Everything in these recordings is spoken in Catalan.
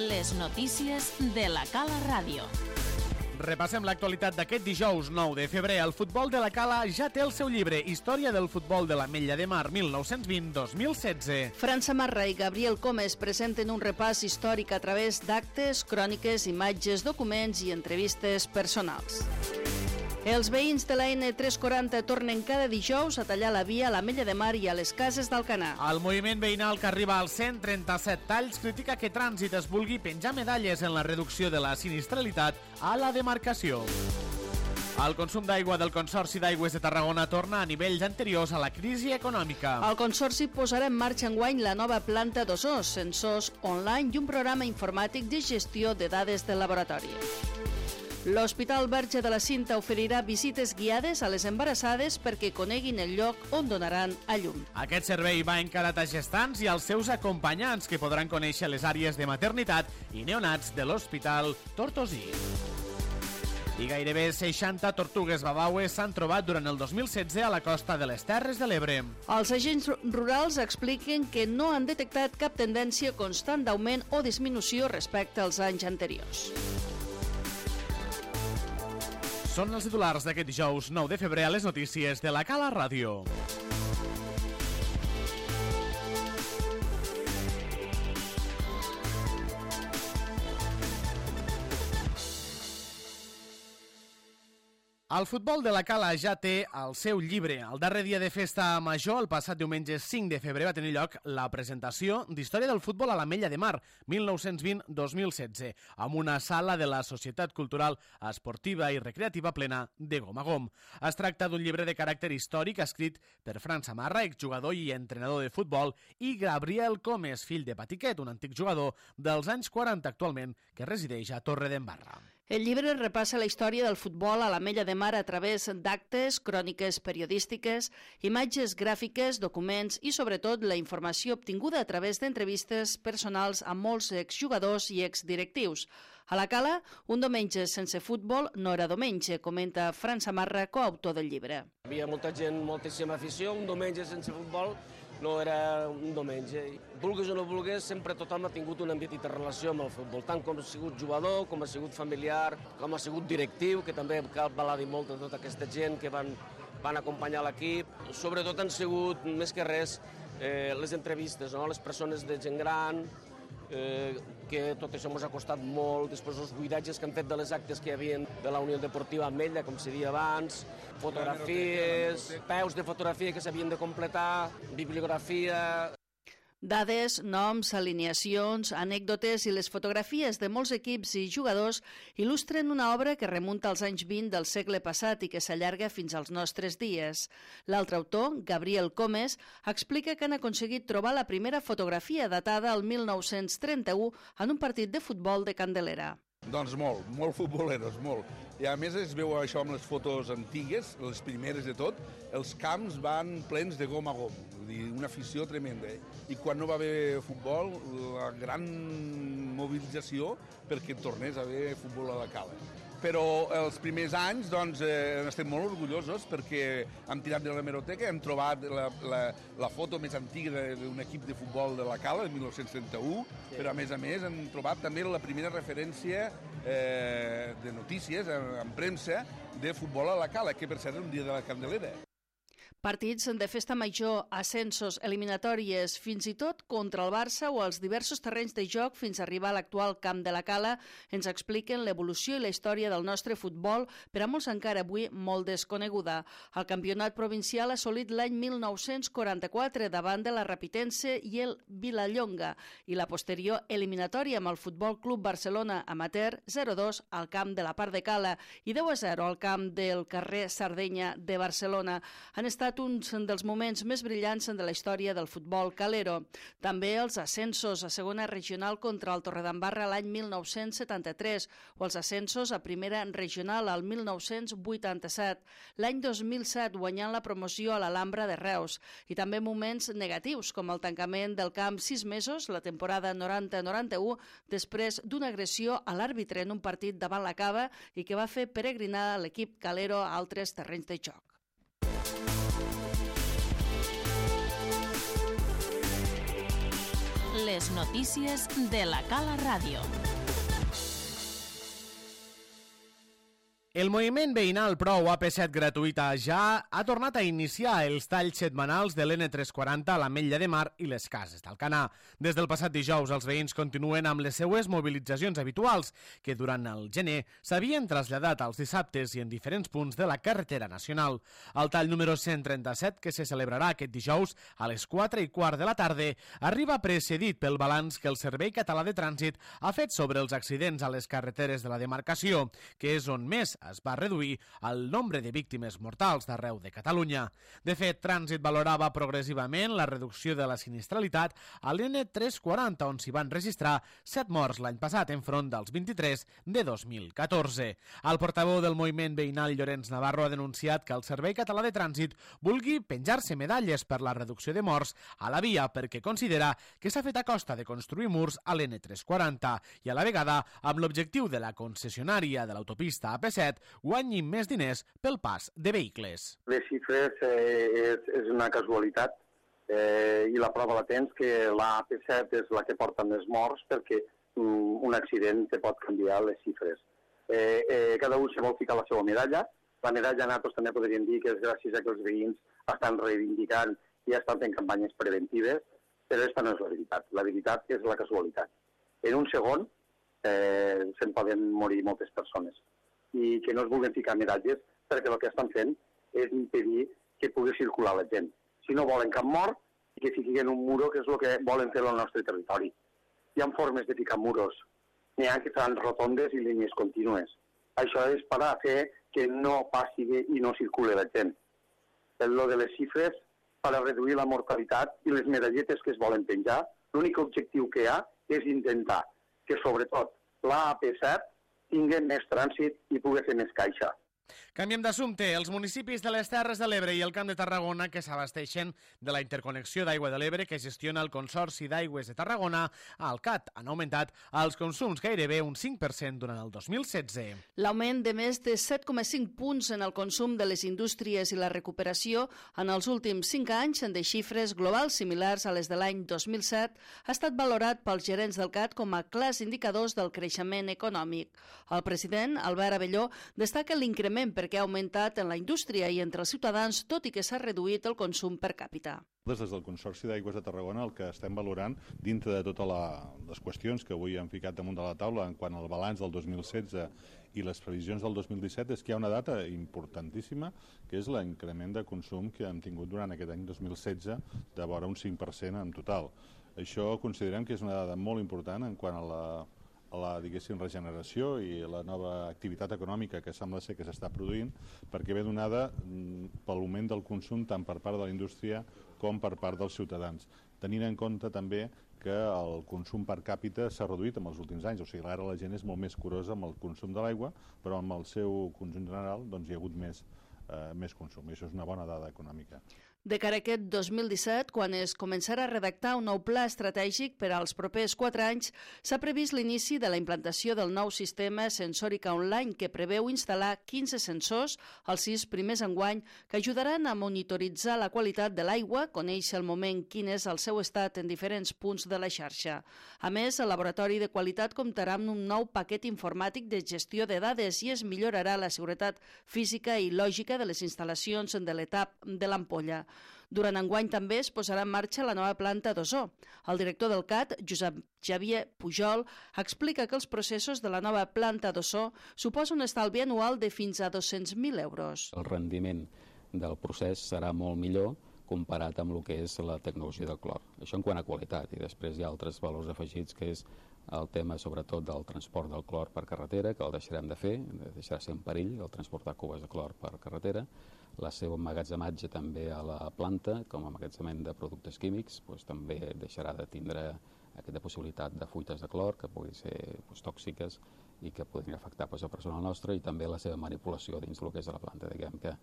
Les notícies de la Cala Ràdio. Repassem l'actualitat d'aquest dijous 9 de febrer. El futbol de la Cala ja té el seu llibre Història del futbol de l'Ametlla de Mar 1920-2016. Fran Samarra i Gabriel Comes presenten un repàs històric a través d'actes, cròniques, imatges, documents i entrevistes personals. Els veïns de la N340 tornen cada dijous a tallar la via a l'Ametlla de Mar i a les Cases d'Alcanar. El moviment veïnal que arriba als 137 talls critica que Trànsit es vulgui penjar medalles en la reducció de la sinistralitat a la demarcació. El consum d'aigua del Consorci d'Aigües de Tarragona torna a nivells anteriors a la crisi econòmica. El Consorci posarà en marxa enguany la nova planta d'Osor, sensors online i un programa informàtic de gestió de dades del laboratori. L'Hospital Verge de la Cinta oferirà visites guiades a les embarassades perquè coneguin el lloc on donaran a llum. Aquest servei va encarat a gestants i als seus acompanyants, que podran conèixer les àrees de maternitat i neonats de l'Hospital Tortosí. I gairebé 60 tortugues babaues s'han trobat durant el 2016 a la costa de les Terres de l'Ebre. Els agents rurals expliquen que no han detectat cap tendència constant d'augment o disminució respecte als anys anteriors. Són els titulars d'aquest dijous 9 de febrer a les notícies de la Cala Ràdio. El futbol de la Cala ja té el seu llibre. El darrer dia de festa major, el passat diumenge 5 de febrer, va tenir lloc la presentació d'Història del futbol a l'Ametlla de Mar, 1920-2016, amb una sala de la Societat Cultural Esportiva i Recreativa plena de gom a gom. Es tracta d'un llibre de caràcter històric escrit per Fran Samarra, exjugador i entrenador de futbol, i Gabriel Comes, fill de Patiquet, un antic jugador dels anys 40 actualment, que resideix a Torredembarra. El llibre repassa la història del futbol a l'Ametlla de Mar a través d'actes, cròniques periodístiques, imatges gràfiques, documents i, sobretot, la informació obtinguda a través d'entrevistes personals amb molts exjugadors i exdirectius. A la Cala, un diumenge sense futbol no era diumenge, comenta Fran Samarra, coautor del llibre. Hi havia molta gent, moltíssima afició, un diumenge sense futbol no era un diumenge. Vulguis o no vulguis, sempre tothom ha tingut una petita relació amb el futbol, tant com ha sigut jugador, com ha sigut familiar, com ha sigut directiu, que també cal dir molt de tota aquesta gent que van acompanyar l'equip. Sobretot han sigut, més que res, les entrevistes, no? Les persones de gent gran, que tot això ens ha costat molt, després els buidatges que han fet de les actes que hi havia de la Unió Deportiva Ametlla, com se deia abans, fotografies, peus de fotografia que s'havien de completar, bibliografia. Dades, noms, alineacions, anècdotes i les fotografies de molts equips i jugadors il·lustren una obra que remunta als anys 20 del segle passat i que s'allarga fins als nostres dies. L'altre autor, Gabriel Comes, explica que han aconseguit trobar la primera fotografia datada al 1931 en un partit de futbol de Candelera. Doncs molt futboleros, molt. I a més es veu això amb les fotos antigues, les primeres de tot, els camps van plens de gom a gom, vull dir, una afició tremenda. I quan no va haver futbol, la gran mobilització perquè tornés a haver futbol a la Cala. Però els primers anys doncs, estem molt orgullosos perquè hem tirat de l'hemeroteca, hem trobat la foto més antiga d'un equip de futbol de la Cala, de 1931, però a més hem trobat també la primera referència de notícies en premsa de futbol a la Cala, que per cert era un dia de la Candelera. Partits de festa major, ascensos, eliminatòries, fins i tot contra el Barça o els diversos terrenys de joc fins a arribar a l'actual Camp de la Cala ens expliquen l'evolució i la història del nostre futbol, per a molts encara avui molt desconeguda. El campionat provincial ha assolit l'any 1944 davant de la Rapitense i el Vilallonga i la posterior eliminatòria amb el Futbol Club Barcelona Amateur 0-2 al Camp de la Part de Cala i 10-0 al Camp del carrer Sardenya de Barcelona. Han estat uns dels moments més brillants de la història del futbol calero. També els ascensos a segona regional contra el Torredembarra l'any 1973 o els ascensos a primera regional al 1987, l'any 2007 guanyant la promoció a l'Alhambra de Reus i també moments negatius com el tancament del camp 6 mesos, la temporada 90-91, després d'una agressió a l'àrbitre en un partit davant la Cava i que va fer peregrinar l'equip calero a altres terrenys de joc. Les Les notícies de la Cala Ràdio. El moviment veïnal Prou AP7 gratuïta ja ha tornat a iniciar els talls setmanals de l'N340 a l'Ametlla de Mar i les Cases d'Alcanar. Des del passat dijous, els veïns continuen amb les seues mobilitzacions habituals, que durant el gener s'havien traslladat als dissabtes i en diferents punts de la carretera nacional. El tall número 137, que se celebrarà aquest dijous a les 4:15 de la tarda, arriba precedit pel balanç que el Servei Català de Trànsit ha fet sobre els accidents a les carreteres de la demarcació, que és on més es va reduir el nombre de víctimes mortals d'arreu de Catalunya. De fet, Trànsit valorava progressivament la reducció de la sinistralitat a l'N340, on s'hi van registrar 7 morts l'any passat enfront dels 23 de 2014. El portaveu del moviment veïnal Llorenç Navarro ha denunciat que el Servei Català de Trànsit vulgui penjar-se medalles per la reducció de morts a la via perquè considera que s'ha fet a costa de construir murs a l'N340 i a la vegada amb l'objectiu de la concessionària de l'autopista AP7 guanyin més diners pel pas de vehicles. Les xifres és una casualitat i la prova la tens que la AP7 és la que porta més morts perquè un accident te pot canviar les xifres. Cada un se vol ficar la seva medalla. La medalla nosaltres també podríem dir que és gràcies a que els veïns estan reivindicant i estan fent campanyes preventives, però aquesta no és la veritat. La veritat és la casualitat. En un segon se'n poden morir moltes persones i que no es vulguin ficar medalles perquè el que estan fent és impedir que pugui circular la gent. Si no volen cap mort, que fiquin un muro, que és el que volen fer al nostre territori. Hi ha formes de ficar muros. N'hi ha que fan rotondes i línies contínues. Això és per a fer que no passi i no circuli la gent. Lo de les xifres, per a reduir la mortalitat i les medalletes que es volen penjar, l'únic objectiu que hi ha és intentar que, sobretot, la AP7 tingui més trànsit i pugui fer més caixa. Canviem d'assumpte. Els municipis de les Terres de l'Ebre i el Camp de Tarragona que s'abasteixen de la interconnexió d'aigua de l'Ebre que gestiona el Consorci d'Aigües de Tarragona, el CAT, han augmentat els consums gairebé un 5% durant el 2016. L'augment de més de 7,5 punts en el consum de les indústries i la recuperació en els últims 5 anys de xifres globals similars a les de l'any 2007 ha estat valorat pels gerents del CAT com a clars indicadors del creixement econòmic. El president, Albert Abelló, destaca l'increment perquè ha augmentat en la indústria i entre els ciutadans, tot i que s'ha reduït el consum per càpita. Des del Consorci d'Aigües de Tarragona el que estem valorant, dintre de totes les qüestions que avui hem ficat damunt de la taula en quant al balanç del 2016 i les previsions del 2017, és que hi ha una data importantíssima, que és l'increment de consum que hem tingut durant aquest any 2016 de vora un 5% en total. Això considerem que és una dada molt important en quant a la diguéssim, regeneració i la nova activitat econòmica que sembla ser que s'està produint, perquè ve donada per l'augment del consum tant per part de la indústria com per part dels ciutadans. Tenint en compte també que el consum per càpita s'ha reduït en els últims anys, o sigui, ara la gent és molt més curosa amb el consum de l'aigua, però amb el seu conjunt general doncs, hi ha hagut més consum, i això és una bona dada econòmica. De cara a aquest 2017, quan es començarà a redactar un nou pla estratègic per als propers 4 anys, s'ha previst l'inici de la implantació del nou sistema Sensòrica Online que preveu instal·lar 15 sensors als 6 primers enguany que ajudaran a monitoritzar la qualitat de l'aigua, conèixer al moment quin és el seu estat en diferents punts de la xarxa. A més, el laboratori de qualitat comptarà amb un nou paquet informàtic de gestió de dades i es millorarà la seguretat física i lògica de les instal·lacions de l'etap de l'ampolla. Durant enguany també es posarà en marxa la nova planta d'ozó. El director del CAT, Josep Xavier Pujol, explica que els processos de la nova planta d'ozó suposa un estalvi anual de fins a 200.000 euros. El rendiment del procés serà molt millor comparat amb el que és la tecnologia del clor. Això en quant a qualitat, i després hi ha altres valors afegits, que és el tema sobretot del transport del clor per carretera, que el deixarem de fer, deixarà ser un perill el transportar cubes de clor per carretera. La seva emmagatzematge també a la planta, com a emmagatzemament de productes químics, també deixarà de tindre aquesta possibilitat de fuites de clor que puguin ser tòxiques i que podrien afectar el personal nostre, i també la seva manipulació dins del que és de la planta. Diguem que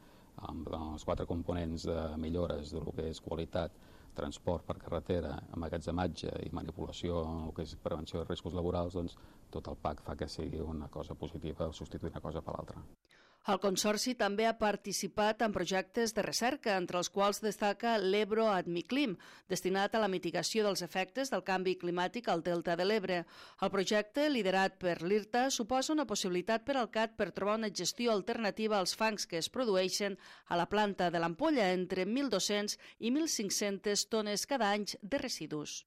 amb els 4 components de millores del que és qualitat, transport per carretera, emmagatzematge i manipulació en el que és prevenció de riscos laborals, doncs tot el PAC fa que sigui una cosa positiva al substituir una cosa per l'altra. El Consorci també ha participat en projectes de recerca, entre els quals destaca l'Ebro Admiclim, destinat a la mitigació dels efectes del canvi climàtic al Delta de l'Ebre. El projecte, liderat per l'IRTA, suposa una possibilitat per al CAT per trobar una gestió alternativa als fangs que es produeixen a la planta de l'Ampolla, entre 1.200 i 1.500 tones cada any de residus.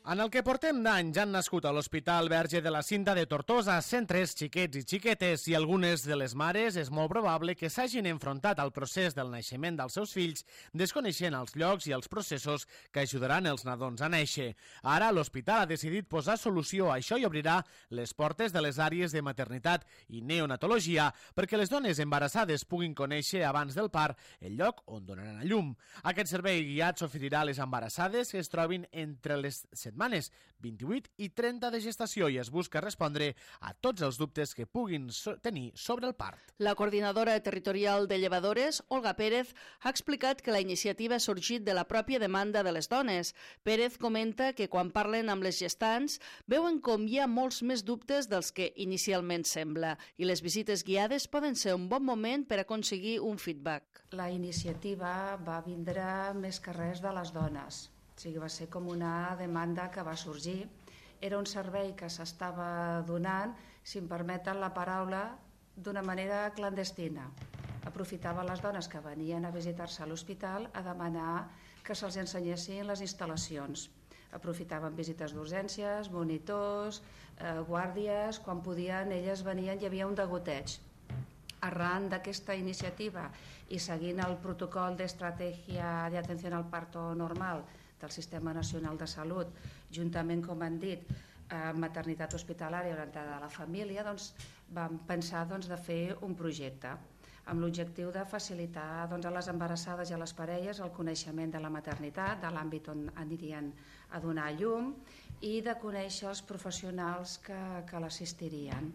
En el que portem d'any ja han nascut a l'Hospital Verge de la Cinta de Tortosa 103 xiquets i xiquetes i algunes de les mares és molt probable que s'hagin enfrontat al procés del naixement dels seus fills desconeixent els llocs i els processos que ajudaran els nadons a néixer. Ara l'hospital ha decidit posar solució a això i obrirà les portes de les àrees de maternitat i neonatologia perquè les dones embarassades puguin conèixer abans del part el lloc on donaran a llum. Aquest servei guiat s'oferirà a les embarassades que es trobin entre les setmanes 28 i 30 de gestació i es busca respondre a tots els dubtes que puguin tenir sobre el part. La coordinadora territorial de llevadores, Olga Pérez, ha explicat que la iniciativa ha sorgit de la pròpia demanda de les dones. Pérez comenta que quan parlen amb les gestants veuen com hi ha molts més dubtes dels que inicialment sembla i les visites guiades poden ser un bon moment per aconseguir un feedback. La iniciativa va vindre més que res de les dones. O sigui, va ser com una demanda que va sorgir. Era un servei que s'estava donant, si em permeten la paraula, d'una manera clandestina. Aprofitava les dones que venien a visitar-se a l'hospital a demanar que se'ls ensenyessin les instal·lacions. Aprofitaven visites d'urgències, monitors, guàrdies, quan podien elles venien, hi havia un degoteig. Arran d'aquesta iniciativa i seguint el protocol d'estratègia d'atenció al parto normal del Sistema Nacional de Salut, juntament, com han dit, maternitat hospitalària orientada a la família, doncs, vam pensar de fer un projecte amb l'objectiu de facilitar a les embarassades i a les parelles el coneixement de la maternitat, de l'àmbit on anirien a donar a llum i de conèixer els professionals que l'assistirien.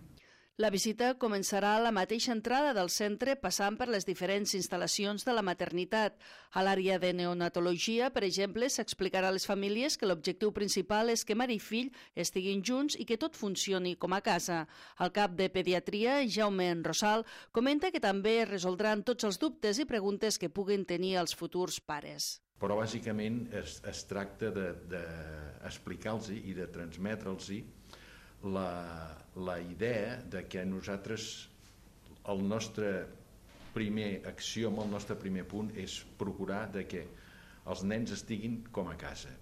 La visita començarà a la mateixa entrada del centre passant per les diferents instal·lacions de la maternitat. A l'àrea de neonatologia, per exemple, s'explicarà a les famílies que l'objectiu principal és que mare i fill estiguin junts i que tot funcioni com a casa. El cap de pediatria, Jaume Rosal, comenta que també es resoldran tots els dubtes i preguntes que puguin tenir els futurs pares. Però bàsicament es tracta d'explicar-los i de transmetre'ls la idea de que nosaltres, el nostre primer axioma, el nostre primer punt és procurar de que els nens estiguin com a casa.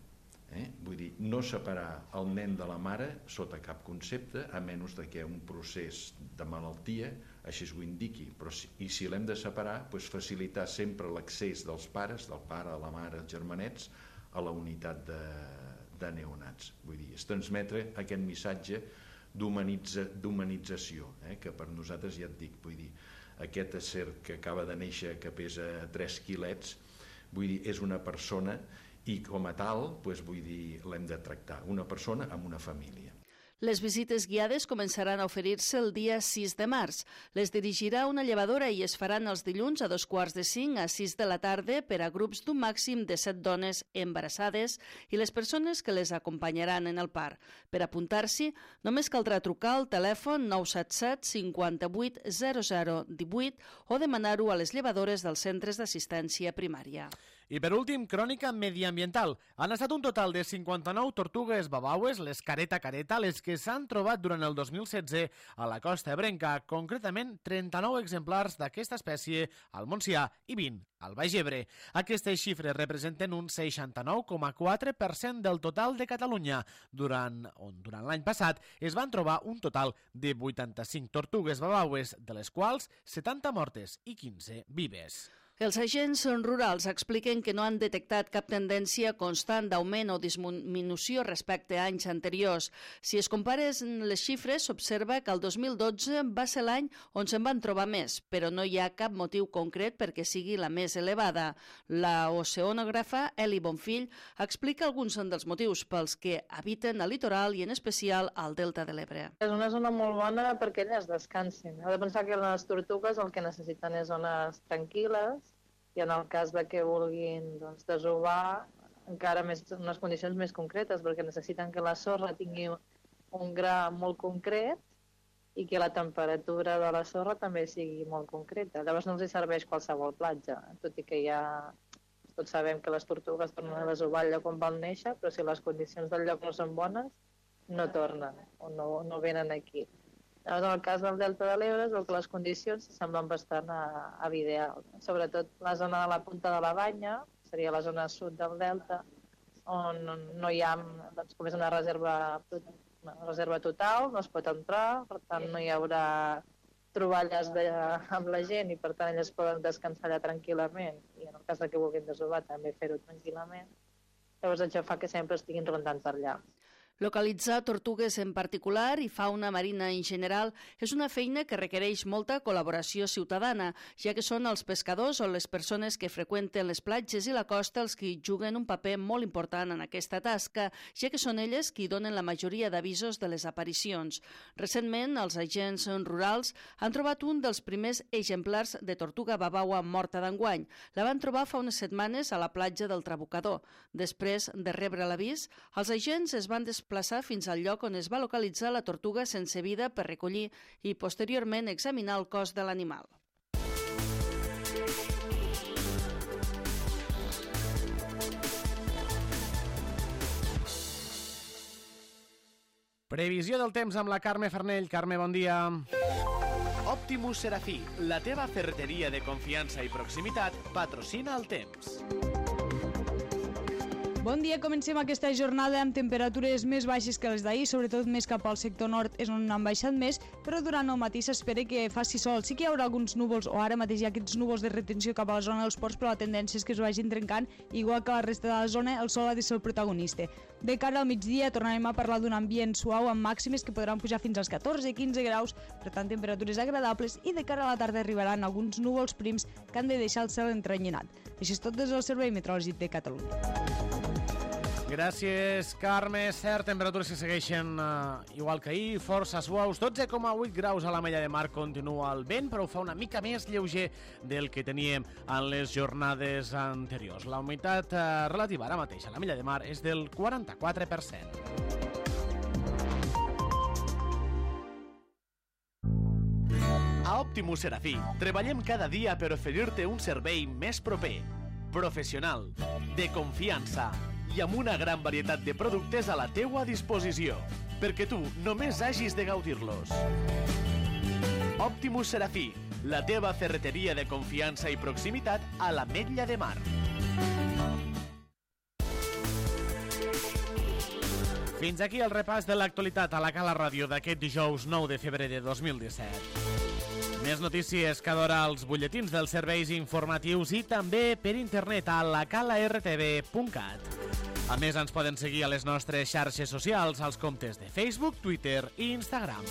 Vull dir, no separar el nen de la mare sota cap concepte, a menys que un procés de malaltia així ho indiqui. I si l'hem de separar, facilitar sempre l'accés dels pares, del pare, de la mare, els germanets, a la unitat de neonats. Vull dir, és transmetre aquest missatge d'humanització, que per nosaltres, ja et dic, vull dir, aquest ésser que acaba de néixer, que pesa 3 quilets, vull dir, és una persona i com a tal, vull dir, l'hem de tractar, una persona amb una família. Les visites guiades començaran a oferir-se el dia 6 de març. Les dirigirà una llevadora i es faran els dilluns a 2:45 a 6 de la tarda per a grups d'un màxim de 7 dones embarassades i les persones que les acompanyaran en el part. Per apuntar-s'hi, només caldrà trucar al telèfon 977 58 0018 o demanar-ho a les llevadores dels centres d'assistència primària. I per últim, crònica mediambiental. Han estat un total de 59 tortugues babaues, les careta-careta, les que s'han trobat durant el 2016 a la costa ebrenca, concretament 39 exemplars d'aquesta espècie al Montsià i 20 al Baix Ebre. Aquestes xifres representen un 69,4% del total de Catalunya, durant l'any passat es van trobar un total de 85 tortugues babaues, de les quals 70 mortes i 15 vives. Els agents rurals expliquen que no han detectat cap tendència constant d'augment o disminució respecte a anys anteriors. Si es comparen les xifres, s'observa que el 2012 va ser l'any on se'n van trobar més, però no hi ha cap motiu concret perquè sigui la més elevada. La oceanògrafa Eli Bonfill explica alguns dels motius pels que habiten al litoral i en especial al Delta de l'Ebre. És una zona molt bona perquè elles descansin. Heu de pensar que les tortugues el que necessiten és zones tranquil·les i en el cas de que vulguin desovar, encara més, unes condicions més concretes, perquè necessiten que la sorra tingui un gra molt concret i que la temperatura de la sorra també sigui molt concreta. Llavors no els serveix qualsevol platja, tot i que tots sabem que les tortugues tornen a desovar allò quan van néixer, però si les condicions del lloc no són bones, no tornen o no venen aquí. Llavors, en el cas del Delta de l'Ebre, es veu que les condicions semblen bastant ideals. Sobretot la zona de la Punta de la Banya, seria la zona sud del Delta, on no hi ha, com és una reserva total, no es pot entrar, per tant no hi haurà troballes amb la gent i per tant elles poden descansar allà tranquil·lament i en el cas que vulguin desovar també fer-ho tranquil·lament. Llavors això fa que sempre estiguin rondant per allà. Localitzar tortugues en particular i fauna marina en general és una feina que requereix molta col·laboració ciutadana, ja que són els pescadors o les persones que freqüenten les platges i la costa els que juguen un paper molt important en aquesta tasca, ja que són elles qui donen la majoria d'avisos de les aparicions. Recentment, els agents rurals han trobat un dels primers exemplars de tortuga babaua morta d'enguany. La van trobar fa unes setmanes a la platja del Trabucador. Després de rebre l'avís, els agents es van desplaçar fins al lloc on es va localitzar la tortuga sense vida per recollir i posteriorment examinar el cos de l'animal. Previsió del temps amb la Carme Farnell. Carme, bon dia. Optimus Serafí, la teva ferreteria de confiança i proximitat, patrocina el temps. Bon dia, comencem aquesta jornada amb temperatures més baixes que les d'ahir, sobretot més cap al sector nord és on han baixat més, però durant el matí s'espera que faci sol. Sí que hi haurà alguns núvols, o ara mateix hi ha aquests núvols de retenció cap a la zona dels ports, però la tendència és que es vagin trencant, igual que la resta de la zona, el sol ha de ser el protagonista. De cara al migdia tornarem a parlar d'un ambient suau amb màximes que podran pujar fins als 14-15 graus, per tant temperatures agradables, i de cara a la tarda arribaran alguns núvols prims que han de deixar el cel entrenyinat. Això és tot des del Servei Meteorològic de Catalunya. Gràcies, Carme. Cert, temperatures que segueixen igual que ahir, força suaus. 12,8 graus a la Mella de Mar, continua el vent, però ho fa una mica més lleuger del que teníem en les jornades anteriors. La humitat relativa ara mateix a la Mella de Mar és del 44%. A Optimus Serafí treballem cada dia per oferir-te un servei més proper, professional, de confiança i amb una gran varietat de productes a la teua disposició, perquè tu només hagis de gaudir-los. Optimus Serafí, la teva ferreteria de confiança i proximitat a l'Ametlla de Mar. Fins aquí el repàs de l'actualitat a la Cala Ràdio d'aquest dijous 9 de febrer de 2017. Més notícies cada hora als butlletins dels serveis informatius i també per internet a lacalartv.cat. A més, ens poden seguir a les nostres xarxes socials, als comptes de Facebook, Twitter i Instagram.